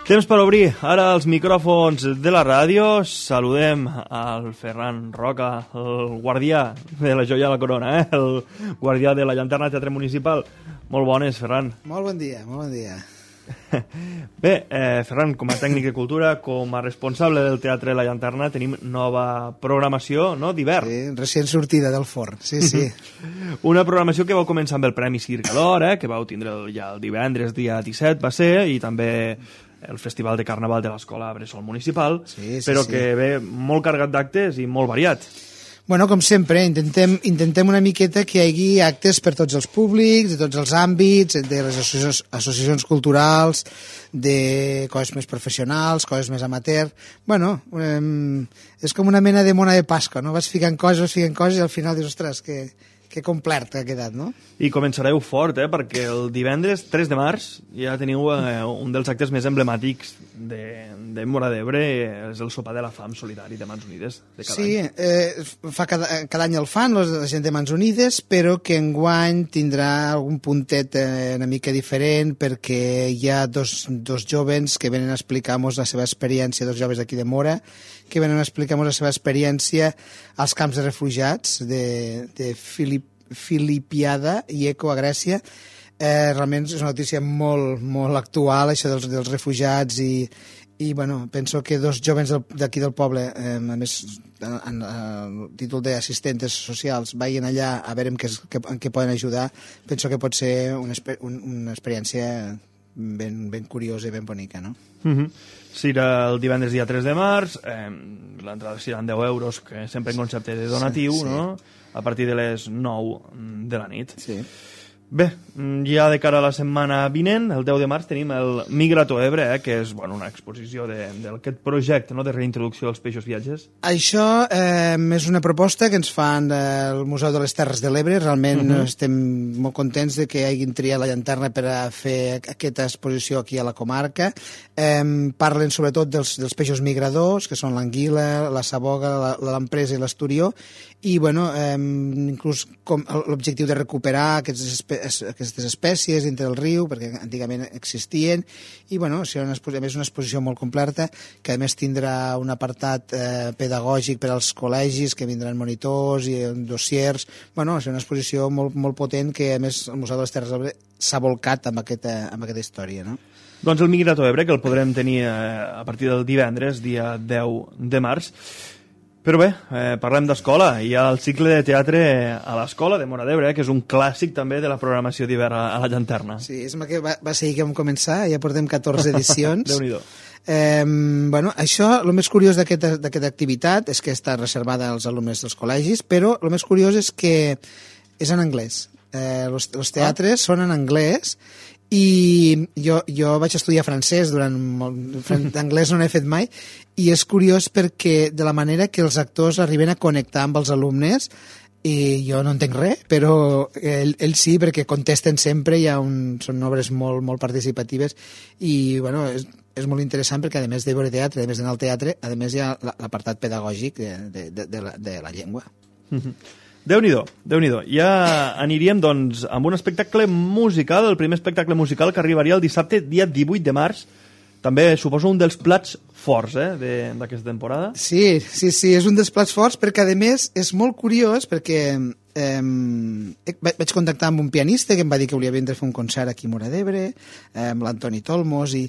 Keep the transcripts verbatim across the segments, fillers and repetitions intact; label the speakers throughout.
Speaker 1: Temps per obrir ara els micròfons de la ràdio. Saludem al Ferran Roca, el guardià de la joia de la corona, eh? El guardià de la llanterna Teatre Municipal. Molt bones, Ferran.
Speaker 2: Molt bon dia, molt bon dia.
Speaker 1: Bé, eh, Ferran, com a tècnic de cultura, com a responsable del Teatre La Llanterna, tenim nova programació, no?, d'hivern.
Speaker 2: Sí, recient sortida del forn, sí, sí.
Speaker 1: Una programació que vau començar amb el Premi Circ d'Or, eh, que vau tindre ja el divendres, dia disset, va ser, i també el Festival de Carnaval de l'Escola Bressol Municipal,
Speaker 2: sí, sí,
Speaker 1: però
Speaker 2: sí.
Speaker 1: que ve molt carregat d'actes i molt variat.
Speaker 2: Bueno, com sempre, intentem, intentem una miqueta que hi hagi actes per tots els públics, de tots els àmbits, de les associacions, associacions culturals, de coses més professionals, coses més amateur. Bueno, eh, és com una mena de mona de Pasqua, no? Vas ficant coses, vas ficant coses i al final dius, ostres, que, que complet ha quedat, no?
Speaker 1: I començareu fort, eh? Perquè el divendres tres de març ja teniu eh, un dels actes més emblemàtics de, de Móra d'Ebre, és el sopar de la fam solidari de Mans Unides de cada
Speaker 2: sí,
Speaker 1: any.
Speaker 2: eh, fa cada, cada any el fan la gent de Mans Unides, però que enguany tindrà algun puntet eh, una mica diferent, perquè hi ha dos, dos jovens que venen a explicar-nos la seva experiència, dos joves d'aquí de Móra, que venen a explicar-nos la seva experiència als camps de refugiats de, de Filip, Filipiada i Eco a Grècia. Eh, realment és una notícia molt, molt actual, això dels, dels refugiats, i, i bueno, penso que dos jóvens d'aquí del poble, eh, a més en el títol d'assistentes socials, vagin allà a veure en què, en què poden ajudar. Penso que pot ser una, una experiència ben, ben curiosa i ben bonica, no?
Speaker 1: Uh-huh. Serà el divendres dia tres de març, eh, l'entrada seran deu euros, que sempre en concepte de donatiu, sí, sí. No? A partir de les nou de la nit.
Speaker 2: Sí.
Speaker 1: Bé, ja de cara a la setmana vinent, el deu de març, tenim el Migrato Ebre, eh, que és bueno, una exposició d'aquest projecte, no?, de reintroducció dels peixos viatges.
Speaker 2: Això eh, és una proposta que ens fan del Museu de les Terres de l'Ebre. Realment uh-huh. estem molt contents de que hagin triat la llanterna per a fer aquesta exposició aquí a la comarca. Eh, parlen sobretot dels, dels peixos migradors, que són l'anguila, la saboga, l'empresa i l'esturió, i bueno, eh, inclús l'objectiu de recuperar aquestes, aquestes espècies dintre del riu, perquè antigament existien, i bueno, serà una, a més una exposició molt completa, que a més tindrà un apartat eh, pedagògic per als col·legis, que vindran monitors i dossiers. Bueno, serà una exposició molt, molt potent, que a més el Museu de les Terres de l'Ebre s'ha volcat amb aquesta, amb aquesta història, no?
Speaker 1: Doncs el Migrato Ebre, que el podrem tenir eh, a partir del divendres, dia deu de març. Però bé, eh, parlem d'escola. Hi ha el cicle de teatre a l'escola de Móra d'Ebre, eh, que és un clàssic també de la programació d'hivern a, a la llanterna.
Speaker 2: Sí, és que va, va ser ahir que vam començar, ja portem catorze edicions.
Speaker 1: Déu-n'hi-do.
Speaker 2: Eh, bueno, això, el més curiós d'aquesta activitat és que està reservada als alumnes dels col·legis, però el més curiós és que és en anglès. Eh, els, els teatres ah. són en anglès, i jo, jo vaig estudiar francès durant molt, anglès no n'he fet mai, i és curiós perquè de la manera que els actors arriben a connectar amb els alumnes, i jo no entenc res, però ells ell sí, perquè contesten sempre, hi ha un, són obres molt, molt participatives, i bueno, és, és molt interessant perquè a més de veure teatre, a més d'anar al teatre, a més hi ha l'apartat pedagògic de, de, de, de, la, de la llengua.
Speaker 1: Mm-hmm. Déu-n'hi-do, Déu-n'hi-do. Ja aniríem, doncs, amb un espectacle musical, el primer espectacle musical que arribaria el dissabte, dia divuit de març. També suposo un dels plats forts, eh, d'aquesta temporada.
Speaker 2: Sí, sí, sí, és un dels plats forts, perquè a més és molt curiós, perquè eh, vaig contactar amb un pianista que em va dir que volia vindre a fer un concert aquí a Móra d'Ebre, eh, amb l'Antoni Tolmos, i,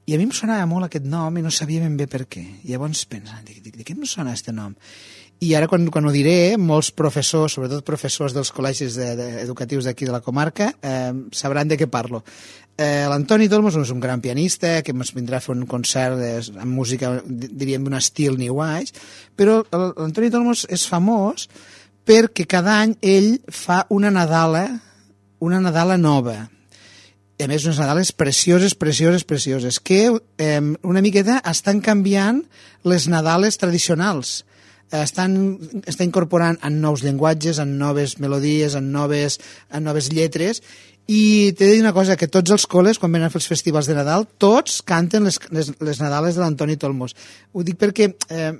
Speaker 2: i a mi em sonava molt aquest nom i no sabia ben bé per què. I llavors pensant, de, de, de què em sona aquest nom? I ara, quan, quan ho diré, molts professors, sobretot professors dels col·legis de, de, educatius d'aquí de la comarca, eh, sabran de què parlo. Eh, L'Antoni Tolmos és un gran pianista que ens vindrà a fer un concert de, amb música, diríem, d'un estil New Age, però l'Antoni Tolmos és famós perquè cada any ell fa una Nadala, una Nadala nova. I a més, unes Nadales precioses, precioses, precioses, que eh, una miqueta estan canviant les Nadales tradicionals. Estan, està incorporant en nous llenguatges, en noves melodies, en noves, en noves lletres, i t'he de dir una cosa, que tots els col·les, quan venen a fer els festivals de Nadal, tots canten les, les, les Nadales de l'Antoni Tolmos. Ho dic perquè eh,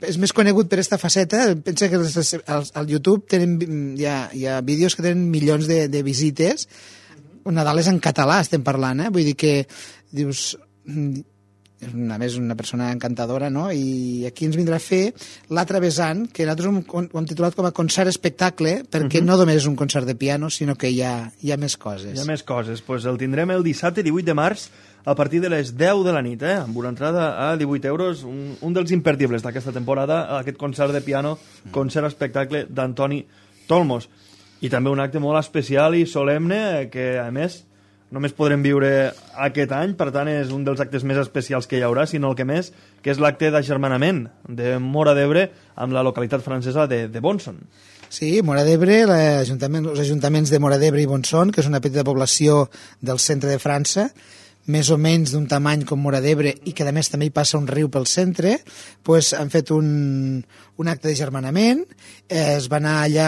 Speaker 2: és més conegut per aquesta faceta. Pensa que els, els, al YouTube tenen, hi, ha, hi ha vídeos que tenen milions de, de visites. Nadal és en català, estem parlant, eh? Vull dir que dius... a més una persona encantadora, no? I aquí ens vindrà a fer l'altre vessant, que nosaltres ho hem titulat com a concert-espectacle, perquè uh-huh. no només és un concert de piano, sinó que hi ha, hi ha més coses.
Speaker 1: Hi ha més coses. Pues el tindrem el dissabte divuit de març a partir de les deu de la nit, eh? Amb una entrada a divuit euros, un, un dels imperdibles d'aquesta temporada, aquest concert de piano, concert-espectacle d'Antoni Tolmos. I també un acte molt especial i solemne que, a més, només podrem viure aquest any, per tant és un dels actes més especials que hi haurà, sinó el que més, que és l'acte d'agermanament de Móra d'Ebre amb la localitat francesa de, de Bonson.
Speaker 2: Sí, Móra d'Ebre, l'Ajuntament, els ajuntaments de Móra d'Ebre i Bonson, que és una petita població del centre de França, més o menys d'un tamany com Móra d'Ebre i que a més també hi passa un riu pel centre, pues, han fet un, un acte de germanament, eh, es va anar allà,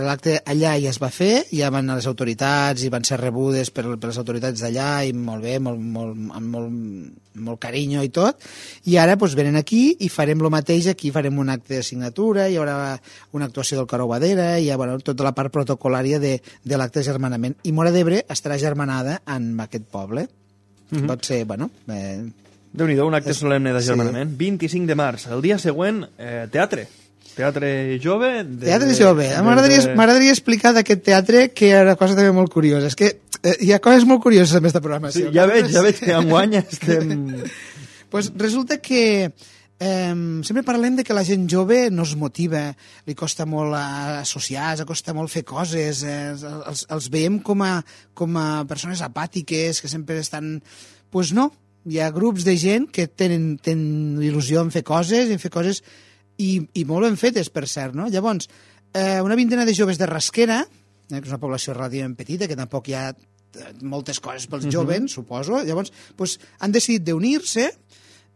Speaker 2: l'acte allà ja es va fer, ja van anar les autoritats i van ser rebudes per, per les autoritats d'allà i molt bé, molt, molt, amb molt, molt carinyo i tot, i ara pues, venen aquí i farem el mateix, aquí farem un acte de signatura, hi haurà una actuació del Coro Badera, hi ha bueno, tota la part protocolària de, de l'acte de germanament, i Móra d'Ebre estarà germanada amb aquest poble. Mm-hmm. Pot ser, bueno... Eh,
Speaker 1: Déu-n'hi-do, un acte és, solemne d'agermanament. Sí. vint-i-cinc de març, el dia següent, eh, teatre. Teatre jove. De,
Speaker 2: teatre jove. De, m'agradaria, de... m'agradaria explicar d'aquest teatre que hi ha una cosa també molt curiosa. És que eh, hi ha coses molt curioses en aquesta programació.
Speaker 1: Sí, ja veig, ja veig que enguany estem...
Speaker 2: pues resulta que eh, sempre parlem de que la gent jove no es motiva, li costa molt associar, li costa molt fer coses, eh, els, els veiem com a, com a persones apàtiques, que sempre estan... Doncs pues no, hi ha grups de gent que tenen, tenen il·lusió en fer coses, en fer coses i, i molt ben fetes, per cert, no? Llavors, eh, una vintena de joves de Rasquera, eh, que és una població relativament petita, que tampoc hi ha moltes coses pels uh-huh. joves, suposo, llavors pues, han decidit d'unir-se,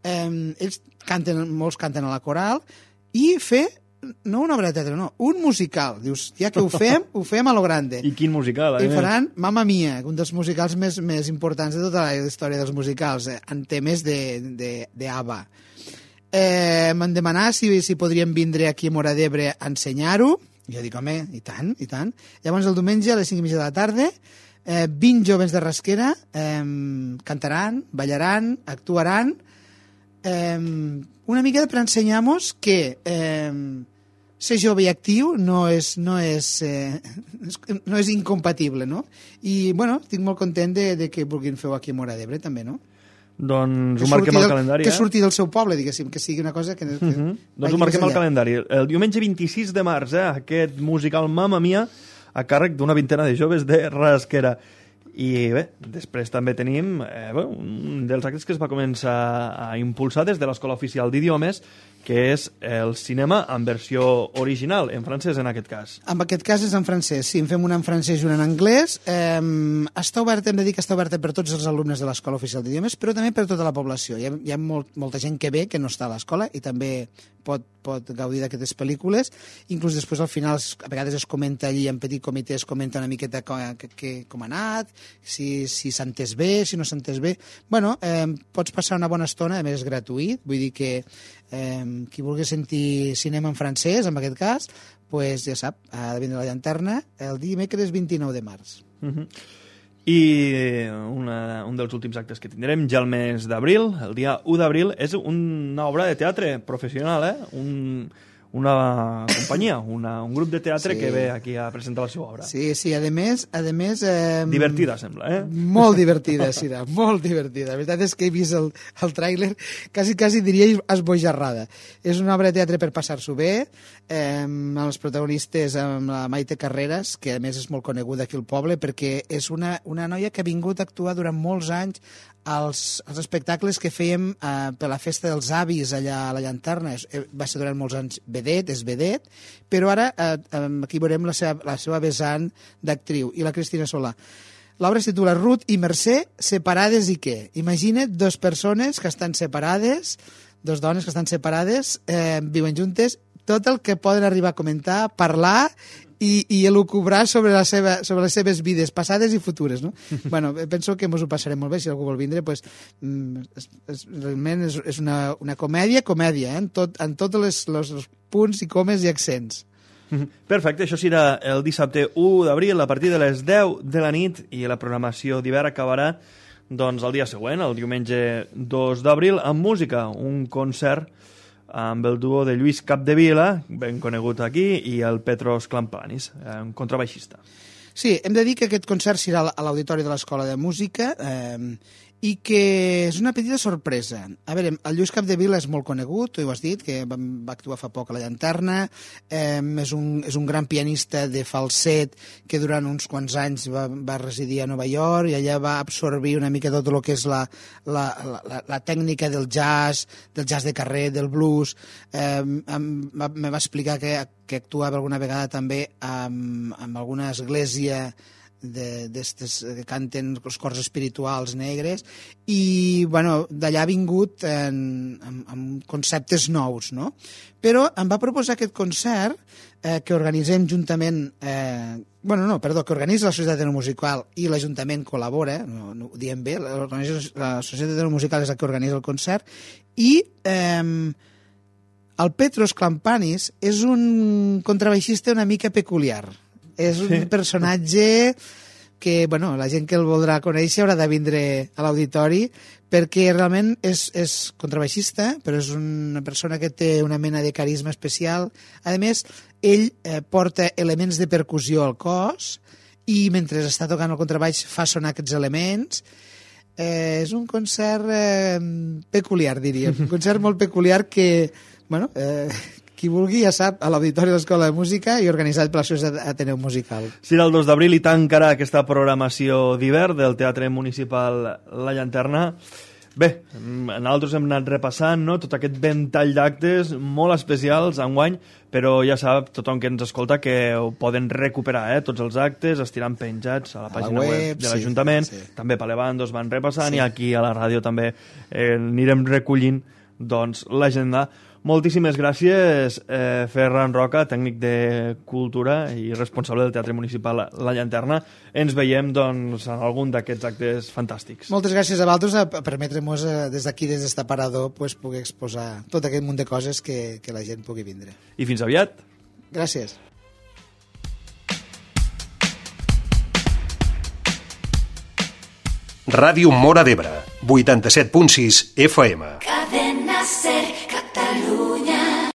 Speaker 2: eh, ells canten, molts canten a la coral, i fer, no una obra de teatre, no, un musical. Dius, ja que ho fem, ho fem a lo grande.
Speaker 1: I quin musical, eh?
Speaker 2: I faran Mamma Mia, un dels musicals més, més importants de tota la història dels musicals, eh, en temes de, de, de ABBA. Eh, M'han demanat si, si podríem vindre aquí a Móra d'Ebre a ensenyar-ho. Jo dic, home, i tant, i tant. Llavors el diumenge a les cinc i mitja de la tarda, eh, vint joves de Rasquera eh, cantaran, ballaran, actuaran, eh, una mica per ensenyar-nos que eh, ser jove i actiu no és, no és, eh, no és incompatible, no? I, bueno, estic molt content de, de que vulguin fer-ho aquí a Móra d'Ebre, també, no?
Speaker 1: Doncs ho marquem al calendari,
Speaker 2: que
Speaker 1: eh?
Speaker 2: Que surti del seu poble, diguéssim, que sigui una cosa que... que
Speaker 1: uh-huh. Doncs ho marquem al calendari. El diumenge vint-i-sis de març, eh, aquest musical Mamma Mia, a càrrec d'una vintena de joves de Rasquera. I bé, després també tenim eh, bé, un dels actes que es va començar a impulsar des de l'Escola Oficial d'Idiomes, que és el cinema en versió original, en francès en aquest cas.
Speaker 2: En aquest cas és en francès, sí, en fem una en francès i una en anglès. Eh, està obert, hem de dir que està oberta per tots els alumnes de l'Escola Oficial d'Idiomes, però també per tota la població. Hi ha, hi ha molt, molta gent que ve, que no està a l'escola, i també pot, pot gaudir d'aquestes pel·lícules. Inclús després al final, a vegades es comenta allí, en petit comitè es comenta una miqueta com, que, que, com ha anat, si, si s'ha entès bé, si no s'ha entès bé. Bueno, eh, pots passar una bona estona, a més és gratuït, vull dir que eh, qui vulgui sentir cinema en francès, en aquest cas, pues ja sap, ha de vindre a la llanterna el dimecres vint-i-nou de març.
Speaker 1: Uh-huh. I una, un dels últims actes que tindrem ja el mes d'abril, el dia u d'abril, és una obra de teatre professional, eh? Un, una companyia, una, un grup de teatre sí. que ve aquí a presentar la seva obra.
Speaker 2: Sí, sí, a més... A més eh,
Speaker 1: divertida, sembla, eh?
Speaker 2: Molt divertida, Sira, molt divertida. La veritat és que he vist el, el tràiler, quasi, quasi diria esbojarrada. És una obra de teatre per passar-s'ho bé, eh, amb els protagonistes, amb la Maite Carreras, que a més és molt coneguda aquí al poble, perquè és una, una noia que ha vingut a actuar durant molts anys als, als espectacles que fèiem eh, per la festa dels avis allà a la Llanterna. Va ser durant molts anys vedet, és vedet, però ara eh, aquí veurem la seva, la seva vessant d'actriu, i la Cristina Solà. L'obra es titula Ruth i Mercè, separades i què? Imagina't dues persones que estan separades, dues dones que estan separades, eh, viuen juntes, tot el que poden arribar a comentar, parlar i, i elucubrar sobre, la seva, sobre les seves vides passades i futures, no? Bueno, penso que ens ho passarem molt bé, si algú vol vindre, pues, és, és, realment és, és una, una comèdia, comèdia, eh? en, tot, en tots les, els, els punts i comes i accents.
Speaker 1: Perfecte, això serà el dissabte u d'abril a partir de les deu de la nit, i la programació d'hivern acabarà doncs, el dia següent, el diumenge dos d'abril, amb música, un concert amb el duo de Lluís Capdevila, ben conegut aquí, i el Petros Klampanis, un contrabaixista.
Speaker 2: Sí, hem de dir que aquest concert serà a l'Auditori de l'Escola de Música eh, i que és una petita sorpresa. A veure, el Lluís Capdevila és molt conegut, tu ho has dit, que va, va actuar fa poc a la Llanterna, eh, és, un, és un gran pianista de falset que durant uns quants anys va, va residir a Nova York i allà va absorbir una mica tot el que és la, la, la, la tècnica del jazz, del jazz de carrer, del blues. Eh, em, va, me va explicar que, que actuava alguna vegada també amb, amb alguna església d'estes que canten els cors espirituals negres i bueno, d'allà ha vingut en, amb, amb conceptes nous, no? Però em va proposar aquest concert eh, que organitzem juntament eh, bueno, no, perdó, que organitza la Societat Etnomusical i l'Ajuntament col·labora, no, no ho diem bé, la, la Societat Etnomusical és la que organitza el concert i eh, el Petros Klampanis és un contrabaixista una mica peculiar. És un sí. personatge que, bueno, la gent que el voldrà conèixer haurà de vindre a l'auditori perquè realment és, és contrabaixista, però és una persona que té una mena de carisma especial. A més, ell eh, porta elements de percussió al cos i mentre està tocant el contrabaix fa sonar aquests elements. Eh, és un concert eh, peculiar, diríem. Un concert molt peculiar que, bueno... Eh, qui vulgui ja sap, a l'Auditori de l'Escola de Música i organitzat per la Societat Ateneu Musical.
Speaker 1: Serà el dos d'abril i tancarà aquesta programació d'hivern del Teatre Municipal La Llanterna. Bé, nosaltres hem anat repassant no? tot aquest ventall d'actes molt especials enguany, però ja sap tothom que ens escolta que ho poden recuperar, eh? Tots els actes estiran penjats a la pàgina a la web, web de l'Ajuntament, sí, sí. També Palevando es van repassant sí. I aquí a la ràdio també eh, anirem recollint doncs, l'agenda. Moltíssimes gràcies, eh, Ferran Roca, tècnic de Cultura i responsable del Teatre Municipal La Llanterna. Ens veiem doncs, en algun d'aquests actes fantàstics.
Speaker 2: Moltes gràcies a vosaltres a permetre-nos eh, des d'aquí, des d'este aparador, pues, poder exposar tot aquest munt de coses que, que la gent pugui vindre.
Speaker 1: I fins aviat.
Speaker 2: Gràcies.
Speaker 3: Ràdio Móra d'Ebre, vuitanta-set punt sis F M.